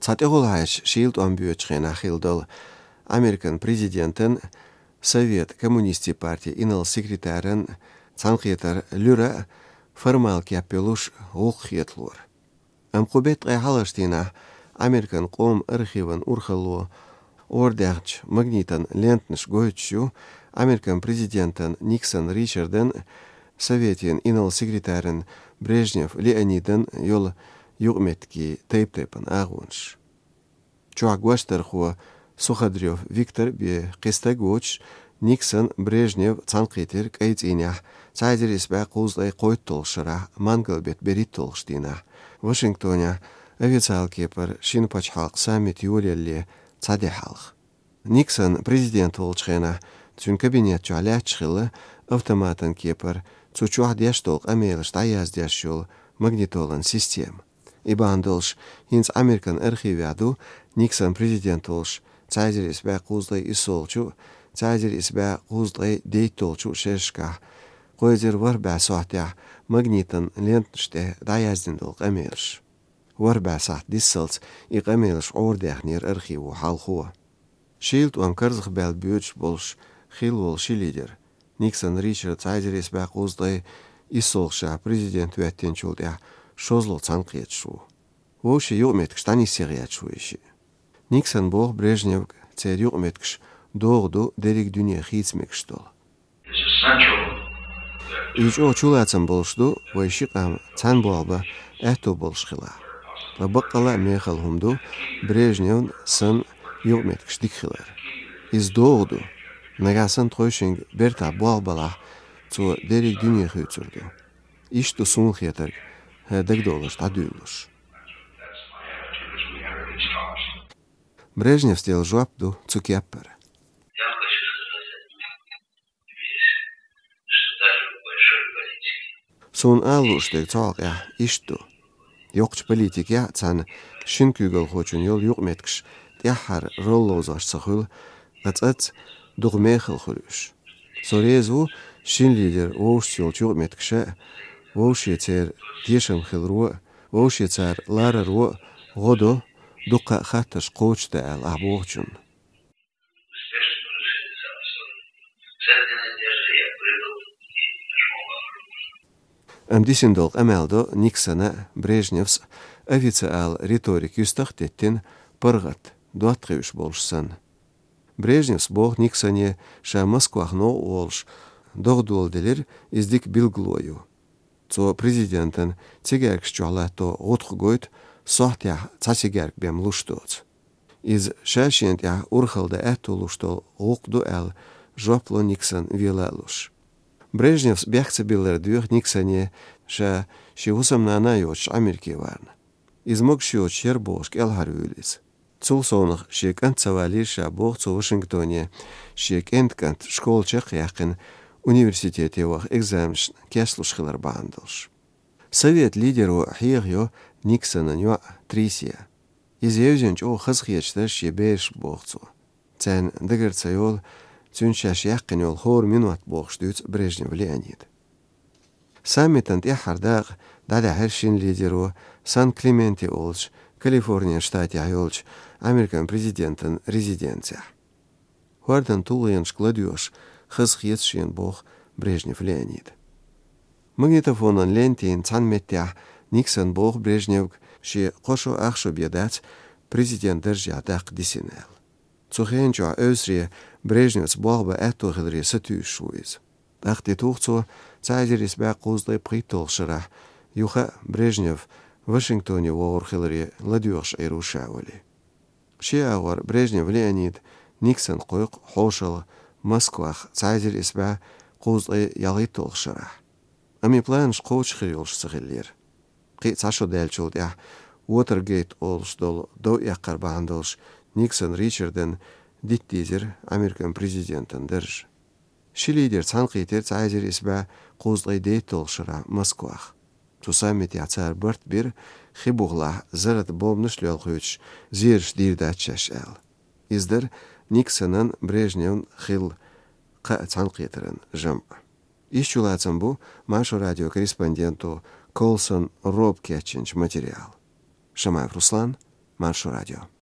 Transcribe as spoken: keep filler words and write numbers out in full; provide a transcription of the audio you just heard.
Тха тӀехула хьаьжча шийла тӀом боьдучу хенахь хилла долу Американ президентан, Совет коммунистийн партин инарла секретаран цхьаьнакхетар луьра а формал кеп йолуш гӀуллакх хеталора. Амма кху беттан ткъе хьалхарчу дийнахь Американ къоман архиван урхалло арадаьхначу магнитан лентанаш гойтуш ю Американ президентан Никсон Ричардан, Советан инарла секретаран Брежнев Леонидан йолу юкъаметтигийн тайп-тайпана агӀонаш. Чохь гочдархо Суходрёв Виктор бен кхин стаг воцуш, Никсон, Брежнев цхьаьнакхийтира кӀайн цӀийнехь, цхьа эзар исс бӀе кхузткъе кхойтталгӀачу шарахь, мангал беттан берхӀитталгӀачу дийнахь, Вашингтонехь официалан кепара шина пачхьалкхан саммит йолаялале цхьа де хьалха. Никсон президент волчу хенахь цуьнан кабинет чохь лаьтташ хилла автоматан кепара цу чохь деш долу къамелаш дӀаяздеш йолу магнитолан система. И бахьана долуш, хӀинца Американ архивехь ду Никсон президент волуш цхьа эзар исс бӀе кхузткъе иссолгӀачу, цхьа эзар исс бӀе кхузткъе дейтталгӀачу шерашкахь, кхо эзар ворхӀ бӀе сохьтехь магнитан лентанаш тӀе дӀаяздина долу къамелаш. ВорхӀ бӀе сахьт дисалц и къамелаш Ӏорадаьхнера архиво хьалхо. Шийла тӀом карзахбаьлла боьдуш болуш хилла волу ши лидер, Никсон Ричард, цхьа эзар исс бӀе кхузткъе иссолгӀачу шарахь президент хӀоьттинчул тӀаьхьа шозлагӀа цхьаьнакхеташ ву. Вовшийн юкъаметтигаш дӀанисъян гӀерташ ву и шиъ. Никсон боху Брежневга, церан юкъаметтигаш догӀа ду дерриг дуьне хийца мегаш долу. И чӀогӀа чулацам болуш ду вай ши къам цхьаьна болх бан аьтто болуш хилахь. Ткъа баккъалла а мехала хӀума ду Брежневн санна юкъаметтигаш дика хилар. Иза догӀа ду. Нагахь санна тхойшинга бертахь болх балахь, цо дерриг дуьне хуьйцур ду. Иштта ду суна хетарг, хӀара дагадовларш дӀадуьйлалуш. Брежневс делла жоп ду цу кеппара. Суна ала лууш дерг цу хьокъехь иштта ду. Йоккхачу политикехь а цхьана шина куьйгалхочун йолу юкъаметтигаш тӀаьххьара ролла ловзош ца хуьлу, ткъа цӀацца дукха мехала хуьлу уьш. Со реза ву шина лидера вовшашца йолчу юкъаметтигаша а, вовше церан тешам хиларо а, вовше цара лараро а гӀо до дуккха а хаттарш кхочушдан аьлла ахь бохучунна. Амма дисина долу къамел до Никсона а, Брежневс а официал риторика юьстах а теттина, паргӀат, доттагӀий уьш болуш санна. Брежневс боху Никсоне, ша Москвах новкъа волуш догӀа доладелира, иза дика билгало ю. Цо президентан цигаьркаш чохь латто гӀутакх гойту, сохьтехь цхьа цигаьрка бен луш доцу. Иза ша шена тӀехь урхалла дан аьтто луш долу гӀуллакх ду аьлла, жоп ло Никсон вела а луш. Брежневс бехк ца биллар доьху Никсоне, ша шен хӀусамнана а йоцуш Америке варна. Иза могуш йоцуш яра бохуш кӀелхьарвуьйлу иза. Цул совнаха шен кӀант ца валийра ша, боху цо Вашингтоне, шен кӀентан кӀант школа чекхъяьккхина, университете ваха экзаменашна кечлуш хилар бахьана долуш. Совет лидеро хьехайо Никсонан йоӀ Трисия. Иза евзина чӀогӀа хазахеташ дара шен берашка, боху цо. Царна дагара ца йолу цуьнца шаьш яьккхина йолу хӀора минот, бохуш дуьйцу Брежнев Леонида. Саммитан тӀаьххьара дакъа дӀадаьхьира шина лидеро Сан-Клементе олучу Калифорнин штатехь йолчу Американ президентан резиденцехь. ХӀордан тулгӀенашка ладоьгӀуш хазахета шена, боху Брежнев Леонида. Магнитофонан лентийн цхьана меттехь Никсон боху Брежневга, шен кхо шо, ах шо бен дац президент даржехь даккха дисина аьлла. Цу хенан чохь Ойсаре Брежневца болх бан аьтто хиларе сатуьйсуш ву иза. ТӀаккха тӀетуху цо цхьа эзар исс бӀе кхузткъе пхийтталгӀачу шарахь, юха а Брежнев Вашингтоне вогӀур хиларе ладоьгӀуш Ӏийр ву ша, олий. Шен агӀор Брежнев Леонид Никсон кхойкху хьошалгӀа Москвах цхьа эзар исс бӀе кхузткъе ялхитталгӀачу шарахь. Амма и планаш кхочуш хир йолуш ца хиллера. Кхин а цхьа шо даьллачул тӀаьхьа Уотергейт олуш долу дов эккхар бахьана долуш Никсон Ричардан дита дийзира Американ президентан дарж. Ши лидер цхьаьнакхийтира цхьа эзар исс бӀе кхузткъе дейтталгӀачу шарахь Москвах. Цу саммитехь цара барт бира, хи бухахь зарратан бомбанаш лелхуьйтуш, зераш дийр дац шаьш аьлла. Иза дара Никсонан, Брежневн хилла кхаа цхьаьнакхетаран жамӀ. Иштта чулацам бу Маршо радион корреспонденто Колсон Роба кечйинчу материалан. Шамаев Руслан, Marshall Radio.